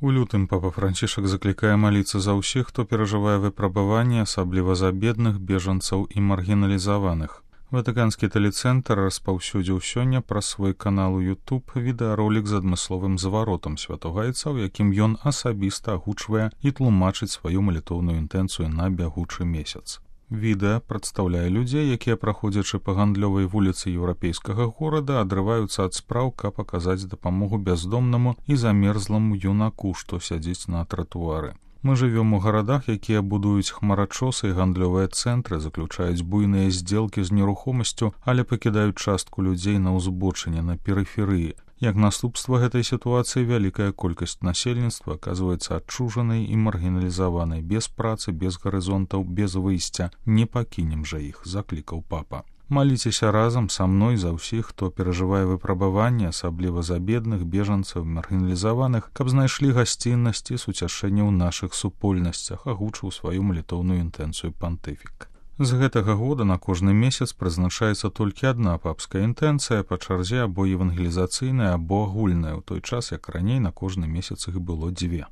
У лютым папа Францішак заклікае маліцца за ўсіх, хто перажывае выпрабаванні, асабліва за бедных, бежанцаў і маргіналізаваных. Ватыканскі тэлецэнтр распаўсюдзіў сёння праз свой канал у YouTube відэаролік з адмысловым зваротам святога айца, у якім ён асабіста агучвае і тлумачыць сваю малітоўную інтэнцыю на бягучы месяц. Відэа прадстаўляе людзей, якія, праходзячы па гандлёвай вуліцы еўрапейскага горада, адрываюцца ад спраў, каб аказаць дапамогу бяздомнаму і замерзламу юнаку, што сядзіць на тратуары. Мы жывём у гарадах, якія будуюць хмарачосы і гандлёвыя цэнтры, заключаюць буйныя здзелкі з нерухомасцю, але пакідаюць частку людзей на ўзбочыне, на перыферыі. Як наступства гэтай сітуацыі вялікая колькасць насельніцтва аказваецца адчужанай і маргіналізаванай, без працы, без гарызонтаў, без выйсця. Не пакінем жа іх, заклікаў папа. Маліцеся разам са мной за ўсіх, хто перажывае выпрабаванні, асабліва за бедных, бежанцаў, маргіналізаваных, каб знайшлі гасціннасць і суцяшэнне ў нашых супольнасцях, агучыў сваю малітоўную інтэнцыю пантыфік. З гэтага года на кожны месяц прызначаецца толькі адна папская інтэнцыя, па чарзе або евангелізацыйная, або агульная, у той час, як раней на кожны месяц іх было 2.